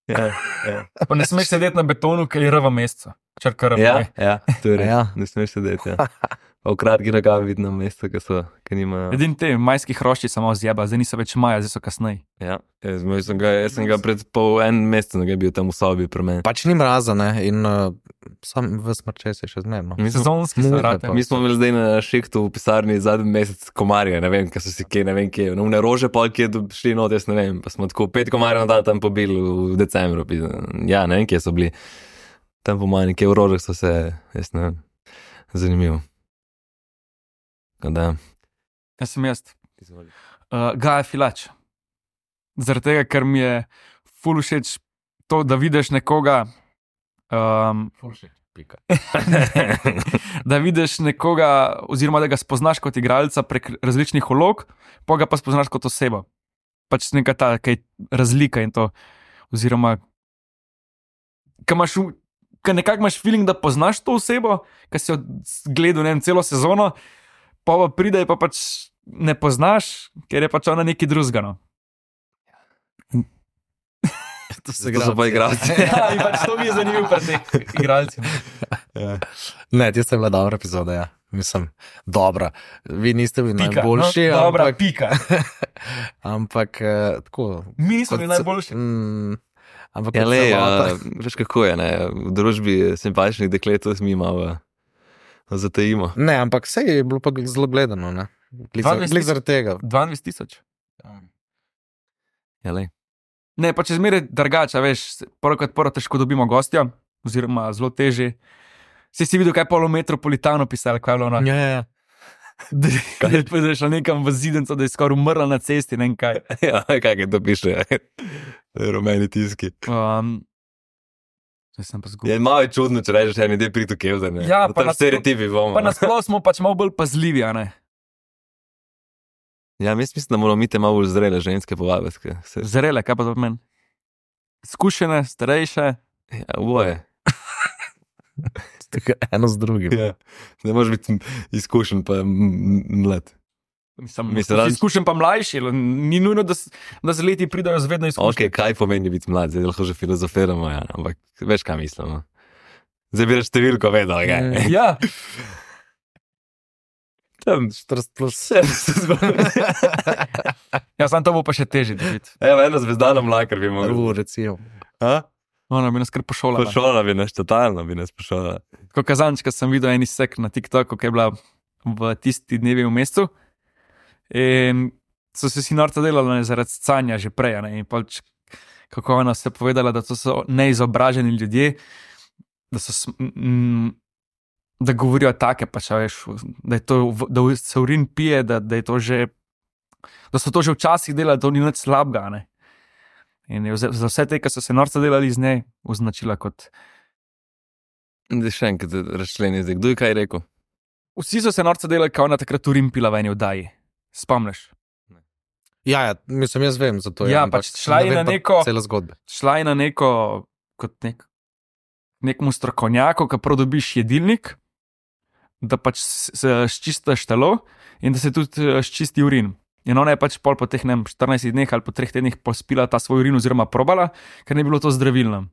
ja, ja. Pa ne smeš sedeti na betonu, ker je rava meseca. Črka rava. Ja, ne. ja, to je res. Ja. Ne smeš sedeti. Ja. Pa v kratki nogavi vidno mesto, ki so, ki nimajo. Edini te majski hrošči samo zjeba, zdaj niso več maja, zdaj so kasneje. Ja, jaz, jaz, sem ga, jaz sem ga pred pol en mesec, da je bil tam v sobi pri meni. Pač ni mraza, ne, in uh, sam v smrče se še zmerno. Mi smo, Sezonski Muhe so rate. pa. mi smo imeli zdaj na šihtu v pisarni zadnji mesec komarje, ne vem, kaj so si kje, ne vem kje. No, ne rože pol, kje do- šli not, jaz ne vem. Pa smo tako pet komarjev na dan tam pobili v decembru. pi- Ja, ne vem, kje so bili. Tam po manj, kje v rožah so se, jaz ne vem, zanimivo. Da. Jaz sem jaz. Uh, Gaja Filač. Zaradi tega, ker mi je ful všeč to, da vidiš nekoga. Um, Pika. da vidiš nekoga, oziroma da ga spoznaš kot igralca prek različnih vlog, pa ga pa spoznaš kot osebo. Pač neka ta kaj razlika in to. Oziroma, kaj imaš, v- kaj nekako imaš feeling, da poznaš to osebo, ki si jo gledal ne vem, celo sezono, pa pa pride, pa pač ne poznaš, ker je pač ona nekaj drugega. No. To To so pa igralci. Ja, in pač to mi je zanimivo pri teh igralcih. Ja. Ne, tista je bila dobra epizoda, ja. Mislim, dobra. Vi niste bili Pika, najboljši, no, dobra, ampak, pika. ampak eh, tako. Mi nismo kot bili ce- najboljši. Mm, ampak Ja, kot le, celota. uh, veš kako je, ne? V družbi simpatičnih deklet to mi malo uh, zatajimo. Ne, ampak vse je bilo pa zelo gledano, ne. Glih za- dvajset glih zaradi tega. dvajset tisoč. Ja, le. Ne, pa če zmeraj drugače, veš, prvo kot prvo težko dobimo gostja, oziroma zelo teže. Si si videl, kaj je polo metropolitano pisalo, kaj je bilo ono. Ja, ja, ja. Da je prišel nekam v zidenco, da je skoraj umrla na cesti, ne vem kaj. Ja, kaj je to piše? Rumeni tiski. Um, Zdaj sem pa Je zgubil. malo je čudno, če rečeš, da je prito kevzane. Ja, pa tam nas- stereotipi bomo. Pa nasploh smo pač malo bolj pazljivi, a ne. Ja, jaz mislim, da moramo mi te malo bolj zrele ženske povabiti. ke Se, Zrele, kaj pa to pomeni? Skušene, starejše. ja, oboje. Tako eno z drugim. Ja. Ne moreš biti izkušen pa m- m- mlad. Mislim, Mislim, Mislim, da- izkušen pa mlajši, ni nujno, da, s- da z leti pridajo zvedno izkušnje. Ok, kaj pomeni biti mlad, zdaj lahko že filozofiramo, ja, ampak veš, kaj mislimo. Zdaj bi reč številko vedel, kaj. Mm. Ja, Tam štirideset plus. vse se zgodi. ja, sam to bo pa še težje dobiti. Evo, eno zvezdano mlakar bi mogel. U, recimo. A? Ona bi nas kar pošolala. Pošola bi nas, totalno bi nas pošola. Ko kazančka sem videl en izsek na TikToku, ki je bila v tisti dnevi v mestu. In so se si norca delali ne, zaradi canja že prej. Ne, in pač, kako ona se je povedala, da to so neizobraženi ljudje, da, so, sm- mm, da govorijo take, pač, a veš, da, je to, v- da se urin pije, da, da, je to že, da so to že včasih delali, da to ni nič slabega. Ne. In je za, za vse te, ki so se norca delali z njej, označila kot. Zdaj še enkrat razčleni, zdaj kdo je kaj rekel? Vsi so se norca delali, kao na takrat urin pila v eni oddaji. Spomniš? Ja, ja, mislim, jaz vem za to. Ja, ampak pač šla je ne vem na pa neko- Cela zgodba. Šla je na neko, kot nek, nekmu strokovnjaku, ki prodobiš jedilnik, da pač s- s- sčistiš telo in da se tudi eh, sčisti urin. In ona je pač pol po teh ne vem, štirinajstih dneh ali po treh tednih pospila ta svoj urin oziroma probala, ker ne bi bilo to zdravilno.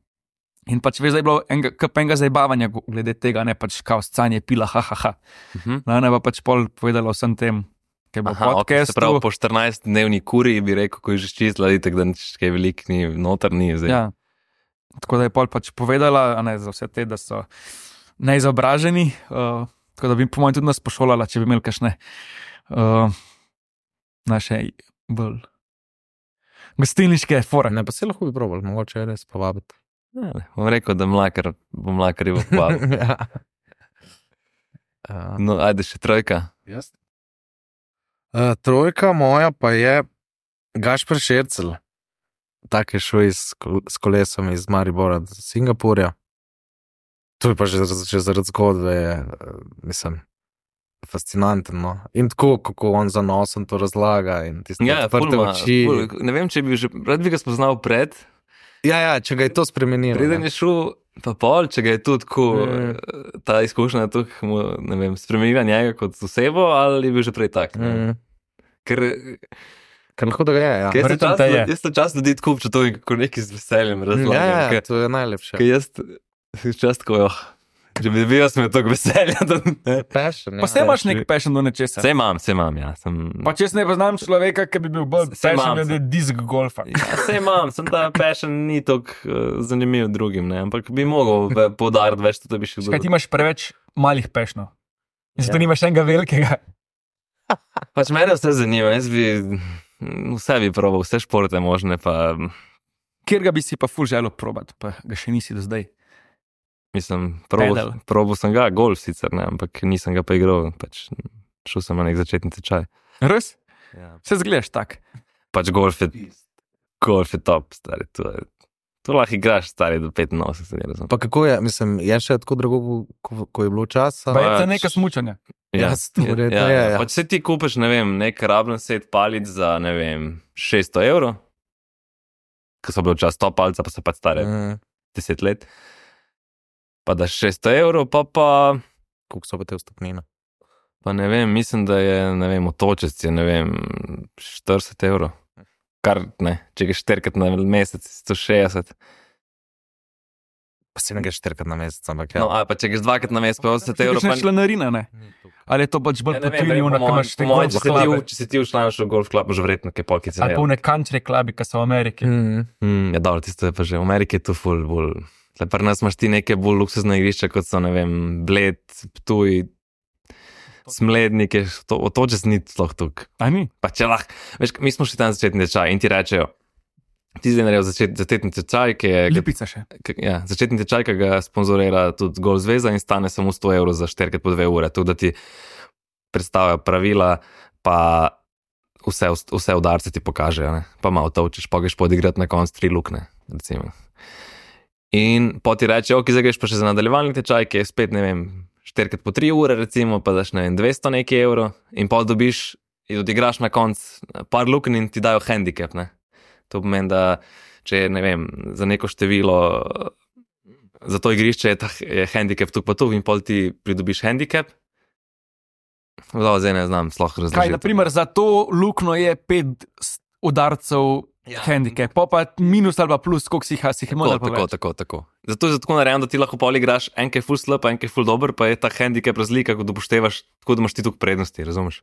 In pač veš, da je bilo enega, kap enega zabavanja glede tega, ne pač kao scanje pila, ha, ha, ha. Uh -huh. No, ona je pa pač pol povedala vsem tem, Kaj bo Aha, ok, podcast. se pravi, po štirinajst-dnevni kuri bi rekel, ko je že čistila, itak, da nič kaj velik ni, noter ni zdaj. Ja. Tako da je pol pač povedala, a ne, za vse te, da so neizobraženi, uh, tako da bi po mojem tudi nas pošolala, če bi imeli kakšne uh, naše bolj gostilniške fore. Ne, pa se lahko bi probal, mogoče je res povabiti. Ja, ne, bom rekel, da mlakar, bom mlakar je povabil. Ja. Uh, No, ajde še trojka. Jaz? Uh, trojka moja pa je Gašper Šercel. Tak je šel iz, s kolesom iz Maribora do Singapurja. To je pa že, že zaradi zgodbe, je, mislim, fascinantno. No? In tako, kako on zanosen to razlaga in tiste Ja, odprte ful ma- oči. ful, ne vem, če bi že, rad bi ga spoznal pred, Ja, ja, če ga je to spremenilo. preden ne. je šel, pa pol, če ga je tudi tako, Mm. ta izkušnja tukaj, mu, ne vem, spremenila njega kot osebo, ali je bil že prej tak. ne vem. Mm. Ker, Ker lahko da ga je, ja. ker jaz verjetno to te je. čas, jaz to čas ljudi tako občutujem, kako neki z veseljem Ja, razlagam. ja, ker- to je najlepše. Ker jaz čas tako, oh, če bi bil jaz, me tako veselja. Da, ne. Passion, Pa ja. se imaš nek passion do nečesa. Saj imam, saj imam, ja. Sem, Pa če jaz ne poznam človeka, ki bi bil bolj Saj passion imam, glede disk golfa. ja, saj imam, sem ta passion ni tako uh, zanimiv drugim, ne, ampak bi mogel ve- poudariti več, da bi še Kaj ti imaš preveč malih passionov? In zato Ja. nimaš enega velikega. Pač mene vse zanima, jaz bi vse bi probal, vse športe možne, pa Kjer ga bi si pa ful želel probat, pa ga še nisi do zdaj. mislim, probal, Pedal. probal sem ga, golf sicer, ne, ampak nisem ga pa igral, pač šel sem na nek začetni tečaj. Res? Ja. Se zgledaš tak. Pač golf je, golf je top, stari, to je, to lahko igraš, stari, do petinosemdeset, ne razumem. Pa kako je, mislim, je še tako drago, ko, ko je bilo časa? Pa je Pač- to neka smučanja. Ja, verjetno je, ja. Pač se ti kupiš, ne vem, nek rabljen set palic za, ne vem, šeststo evrov, ko so bili včasih top palca, pa so pač stare Mm. deset let. Pa daš šeststo evrov, pa pa, Koliko so pa te vstopnine? pa ne vem, mislim, da je, ne vem, otočec je, ne vem, štirideset evrov. Kar, ne, če greš štirikrat na mesec, sto šestdeset. Pa si ne greš štirikrat na mesec, ampak ja. No, a pa če greš dvakrat na mesec, pa osemdeset evrov. Kakšna Pa, članarina, ne? Ali je to pač bolj ja, ne vem, potilivno, po ko mojem- imaš te po mojem, golf če se ti klape? v- Če si ti všlanš v golf klub, že verjetno kaj polkice. Ali pa v ne country klubi, ki so v Ameriki. Mm. Mm, ja, dobro, tisto je pa že v Ameriki je to ful bolj. Tle pri nas imaš ti neke bolj luksuzne igrišča, kot so, ne vem, Bled, Ptuj, Smlednike, to, otočec ni sploh tukaj. A ni? Pa če lahko, veš, mi smo šli tam začetni tečaj in ti rečejo, ti zdaj naredil začet, začetni tečaj, ki je, Lipica še. ki, ja, začetni tečaj, ki ga sponzorira tudi Golf zveza in stane samo sto evrov za štirikrat po dve ure, tako da ti predstavljajo pravila, pa vse, vse udarce ti pokažejo, ne? Pa malo točiš, pa greš podigrati na konc tri lukne, recimo. In po ti reče, ok, zdaj greš pa še za nadaljevalni tečaj, ki je spet, ne vem, štirikrat po tri ure, recimo, pa daš, ne vem, dvesto nekaj evrov in pol dobiš in odigraš na konc par luken in ti dajo handicap, ne. To pomeni, da če je, ne vem, za neko število, za to igrišče je, ta, je handicap tu pa tu in pol ti pridobiš handicap. Zdaj, zdaj ne znam sploh razložiti. Kaj, naprimer, za to lukno je pet s- udarcev Ja. handicap, pa pa minus ali pa plus, koliko si jih si jih imel. Tako, tako, tako, tako. Zato je tako narejeno, da ti lahko pol igraš en, ki je full slab, en, ki je full dober, pa je ta handicap razlika, ko upoštevaš, tako da imaš ti tukaj prednosti, razumeš?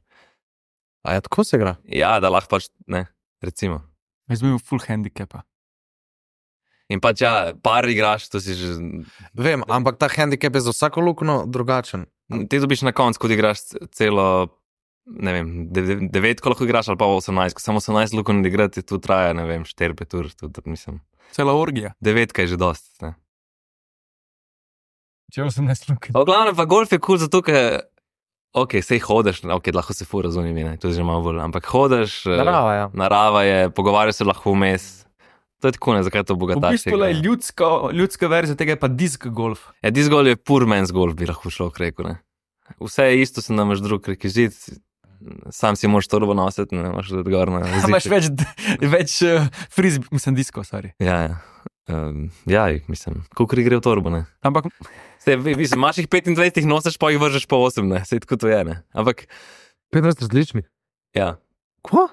A ja, tako se igra? Ja, da lahko pač, ne, recimo. Jaz bi imel full handicapa. In pač ja, par igraš, to si že, Vem, ampak ta handicap je za vsako lukno drugačen. ti dobiš na koncu, ko igraš celo, ne vem, dev- devet, ko lahko igraš, ali pa osemnajst, ko samo osemnajst lukon igrati, tu traja, ne vem, štiri, pet ur, tudi mislim. Cela orgija. Devetka je že dost, ne. Če osemnajst luknj. V glavnem pa golf je kul, cool zato ker, ok, sej hodeš, ok, lahko se fura z unimi, ne, to je že malo bolj, ampak hodeš, eh, Narava, ja. narava je, pogovarjaš se lahko vmes. To je tako, ne, zakaj to V bogataš. bistvu je ljudska, ljudska verzija tega je pa disk golf. Ja, dis gol je pur men's golf, bi lahko šlo rekel, ne. Vse je isto, se namaš drug rekvizit, sam si moraš torbo nositi, ne imaš tudi gor na A imaš več, več uh, frizb, mislim, disko, sorry. Ja, ja. Um, ja, mislim, koliko gre v torbo, ne. Ampak Sej, vi, vi, imaš jih petindvajset, jih nosiš, pa jih vržeš po osem, ne, sej tako to je, ne. Ampak, petnajst različnih. ja. Kva?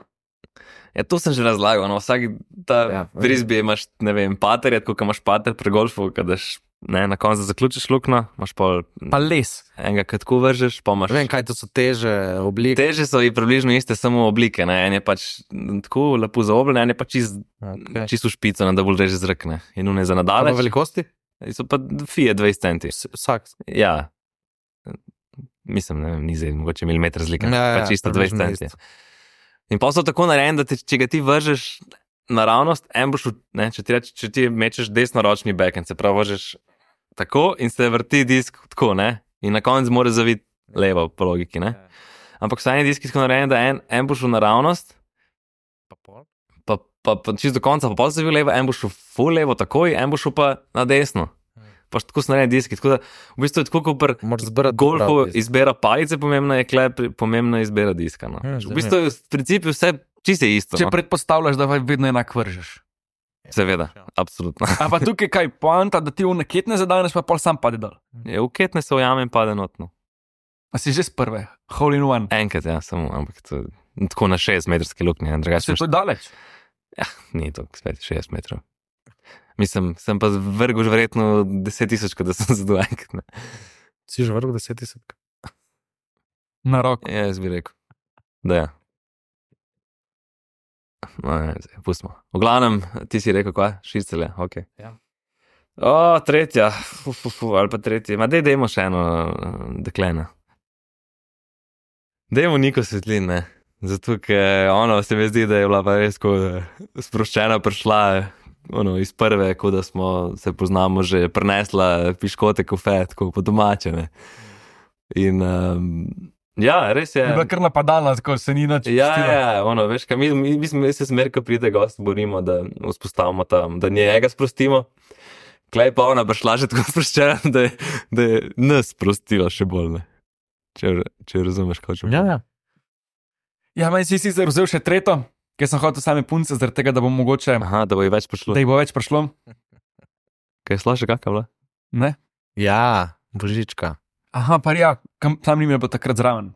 Ja, to sem že razlagal, no, vsak ta Ja, ja, frisbee imaš, ne vem, pater, je tako, ko imaš pater pri golfu, ko daš ne, na koncu zaključiš luknjo, imaš pol Pa les. enega, ki tako vržeš, pa imaš. Vem, kaj to so teže oblike. Teže so in približno iste, samo oblike. Ne? En je pač tako lepo zaobljen, en je pač čist, Okay. čist v špico, ne, da bolj reže zrakne. In une za Pa nadalje. velikosti? So pa fije dvajset centi. S- Vsak. Ja. Mislim, ne vem, ni zdaj mogoče milimeter razlika. Ja, ja, pa čisto približno dvajset centi. isto. In pa so tako narejeni, da te, če ga ti vržeš naravnost, en boš, v- ne, če ti, reč, če ti mečeš desnoročni backhand, se pravi, vržeš tako in se vrti disk tako, ne? In na koncu mora zaviti levo, po logiki, ne? Ampak so eni diski tako narejeni, da en, en boš v naravnost, Pa pol? pa, pa, pa čist do konca, pa pol zavil levo, en boš v full levo takoj, en boš pa na desno. Pa tako so narejeni diski, tako da v bistvu je tako, kot pri Moraš zbrati golfu prav disk. izbira palice, pomembna je kle, pomembna je izbira diska. No. Ja, V bistvu je v principu vse čisto isto. Če No. predpostavljaš, da vedno enak vržeš. Seveda, absolutno. A pa tukaj kaj poanta, da ti v neketne zadaneš, pa pol sam pade dol. Je uketne se ujame in pade notno. A si že z prve, hole in one. Enkrat, ja, samo, ampak to, tako na šest metrske luknje, Se drugače je to daleč. ni to, spet šest metrov. Mislim, sem pa vrgel že verjetno deset tisoč, da sem zadal enkrat. Ne. Si že vrgel deset tisoč? Na roko. Ja, jaz bi rekel, da ja. No, ne, zdaj, pustimo. V glavnem, ti si rekel, kaj? Šircelje, ok. Ja. O, tretja, fu, fu, fu, ali pa tretja. Ma dej, dejmo še eno uh, deklena. Dejmo Niko Svetlin, ne. Zato, ker ono se mi zdi, da je bila pa res ko sproščena prišla ono, iz prve, ko da smo se poznamo že prinesla piškote kofe, tako po domače, ne. In um, ja, res je. Je bila kar napadalna, tako se ni nič. Ja, pustila. ja, ono, veš, kaj, mi, mi, mi, mi se smer, ko pride gost, borimo, da vzpostavimo tam, da njega sprostimo. Klej pa ona prišla že tako sproščena, da je, da je nas sprostila še bolj, ne. Če, če razumeš, kaj hočem. Ja, ja. Ja, meni si sicer vzel še tretjo, ker sem hotel same punce, zaradi tega, da bo mogoče, Aha, da bo ji več prišlo. da jih bo več prišlo. Kaj je slaša, kakva bila? Ne? Ja, božička. Aha, pa ja, kam, tam ni me bilo takrat zraven.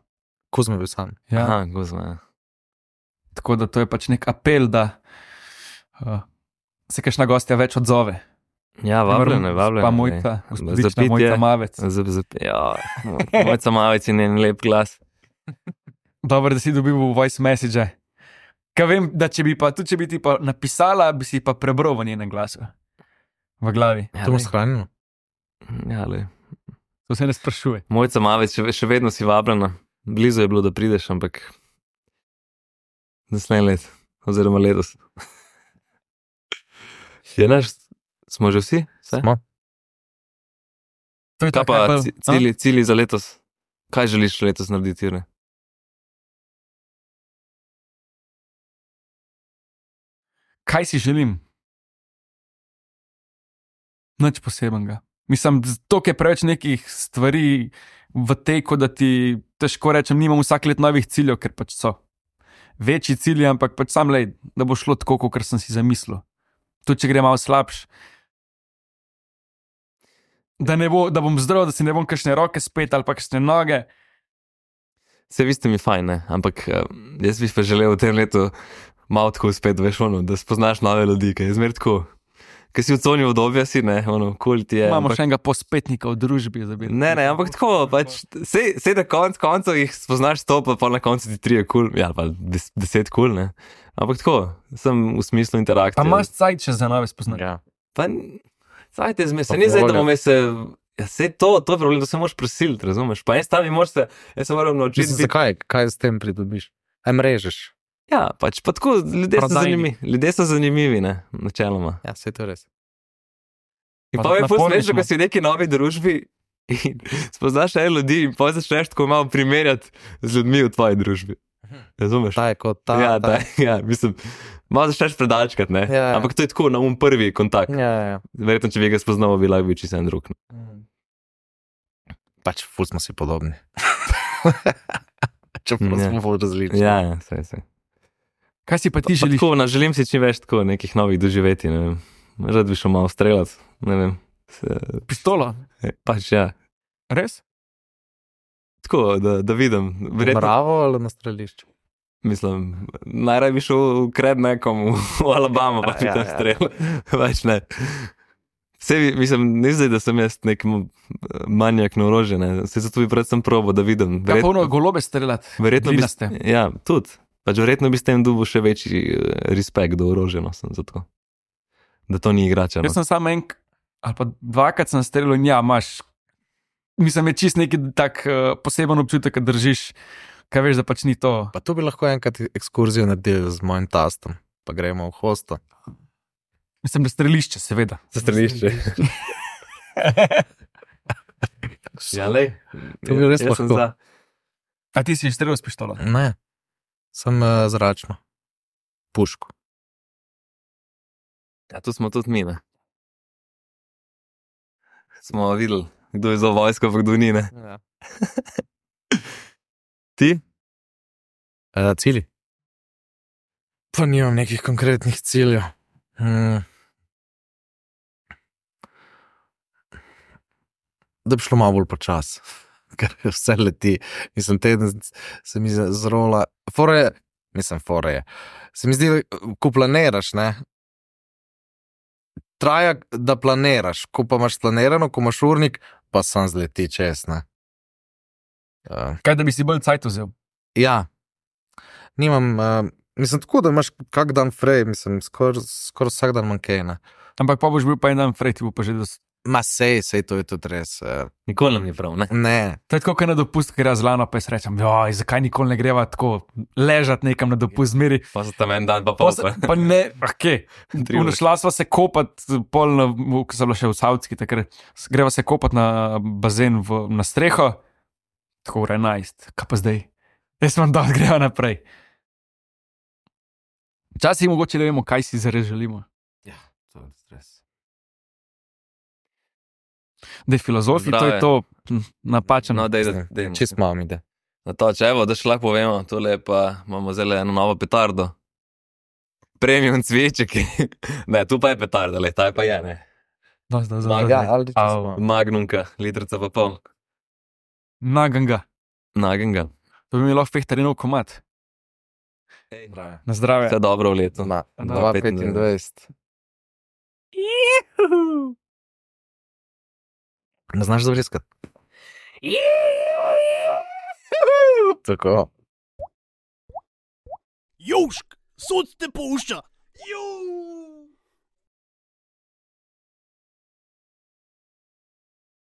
Kuzma bil sam. Ja. Aha, gozma, ja. Tako da to je pač nek apel, da uh, se kakšna gostja več odzove. Ja, vabljene, vabljene. Pa mojca, gospodična mojca Mavec. Zap, zap, ja, mojca Mavec in njen lep glas. Dobro, da si dobil v voice message. Kaj vem, da če bi pa, tudi če bi ti pa napisala, bi si pa prebral v njenem glasu. V glavi. Ja, To boš lej. shranil. Ja, lej. To se ne sprašuje. Mojca Mavec, še, še vedno si vabljena. Blizu je bilo, da prideš, ampak naslednje let, oziroma letos. Je naš, smo že vsi? Vse? Smo. To je Kaj tako, pa bolj- ci- cilji, cilji za letos? Kaj želiš letos narediti, Jure? Kaj si želim? Nič posebenega. Mislim, to je preveč nekih stvari v teku, da ti težko rečem, nimam vsak let novih ciljev, ker pač so večji cilji, ampak pač sam lej, da bo šlo tako, kot sem si zamislil. Tudi če gre malo slabš. Da, ne bo, da bom zdrav, da si ne bom kakšne roke spet ali pa kakšne noge. Vse vi ste mi fajn, ne? Ampak eh, jaz bi pa želel v tem letu malo tako spet, veš, ono, da spoznaš nove ljudi, kaj je zmer tako. Ker si v coni obdobja, si ne, ono, kul ti je. Imamo ampak- še enega pospetnika v družbi. Za Ne, ne, ampak tako, pač, sej, sej na konc, koncu jih spoznaš sto, pa, pa na koncu ti trije kul, cool, ja, pa des, deset kul, cool, ne. Ampak tako, sem v smislu interakcije. Pa imaš cajt še za nove spoznanja. Ja. Pa, sajte zme, se Pa ni zdaj, da volja. bomo se, ja, sej to, to je problem, da se moraš prisiliti, razumeš? Pa en stavi moraš se, jaz se moram naučiti Mislim, biti. zakaj? Kaj s tem pridobiš? Aj mrežeš. Ja, pač, pa tako, ljudje so Prodajni. zanimivi, ljudje so zanimivi, ne, načeloma. Ja, se to je res. In Pa pa je na ful polni smešno, smo. ko si v neki novi družbi in spoznaš ene ljudi in pa začneš tako malo primerjati z ljudmi v tvoji družbi. Razumeš? Ta je kot ta. ja, ta. ta, ja, mislim, malo začneš predalčkati, ne? Ja, ja. Ampak to je tako, na um prvi kontakt. Ja, ja, ja. Verjetno, če bi ga spoznal, bi lahko bil čisto en drug. ne. Pač ful smo si podobni. Čeprav Ja. smo ful različni. Ja, ja, sej, sej. Kaj si pa ti Pa želiš? tako, na, želim si čim več tako nekih novih doživeti, ne vem. Rad bi šel malo streljati, ne vem. Se, Pištolo. pač ja, Res? tako, da, da vidim. Verjetno, Bravo ali na strelišču? mislim, najraje bi šel v kred nekomu v Alabama, pa bi Ja, tam ja. streljal. Več ne. Vse, mislim, ne zdaj, da sem jaz nek m- manjak na orožje, ne. Vse zato bi predvsem probo, da vidim. Ja, polno golobe streljati. verjetno bi, glinaste. ja, tudi. Pač verjetno bi s tem dobil še večji eh, respekt do orožja, no, sem zato. Da to ni igrača. No. Jaz sem samo en, ali pa dvakrat sem streljal in ja, imaš, mislim, je čist neki tak uh, poseben občutek, kad držiš, kaj veš, da pač ni to. Pa tu bi lahko enkrat ekskurzijo naredili z mojim tastom, pa gremo v hosto. Mislim, da strelišče, seveda. Za strelišče. ja, lej. To bi res Jaz sem lahko. za. A ti si streljal s pištolo? Ne, sem uh, zračno. Puško. Ja, tu smo tudi mi, ne. Smo videli, kdo je za vojsko, pa kdo ni, ne. Ja. Ti? Uh, cilji? Pa nimam nekih konkretnih ciljev. Hmm. Da bi šlo malo bolj počas, ker vse leti. Mislim, teden se mi zrola. Fore je, mislim, fore je. Se mi zdi, ko planiraš, ne, traja, da planiraš, ko pa imaš planirano, ko imaš urnik, pa sam zleti čez, ne. Uh, Kaj, da bi si bolj cajt vzel? ja, nimam, uh, mislim, tako da imaš kak dan frej, mislim, skoraj skor vsak dan manjkej, ne. Ampak pa boš bil pa en dan frej, ti bo pa že dost. Ma sej, sej to je tudi res. Uh, Nikoli nam ni prav, ne. ne, To je tako, kaj na dopust, ker jaz lano pa jaz rečem, joj, zakaj nikoli ne greva tako ležati nekam na dopust, zmeri. Pa so tam en dan, pa Pa, pol. se, Pa. pa ne, ok. Tri ure. Šla sva se kopat, pol, na, v- ko sem bila še v Savtski, takrat s- greva se kopat na bazen v, na streho, tako ura enajst, kaj pa zdaj? Jaz sem dal, greva naprej. Včasih mogoče ne vemo, kaj si zares želimo. to je stres. Da je filozofi, to je Zdrave. to hm, napačen. No, dej, da, dej. Čist malo mi ide. Na to, če evo, da še lahko povemo, tole pa imamo zdaj eno novo petardo. Premium cviček. ne, tu pa je petarda, le, ta je pa je, ne. Da, da, da, Zmaga. da, Ja, da. ali čist Au. malo. Magnumka, litrica pa pol. Naganga. Nagenga. To bi mi lahko fehtarinov komat. Na zdravje. Vse dobro v letu. Ma, dva dva petindvajset. Ne znaš zavriskati? Tako. Južk, sod te pušča. Južk.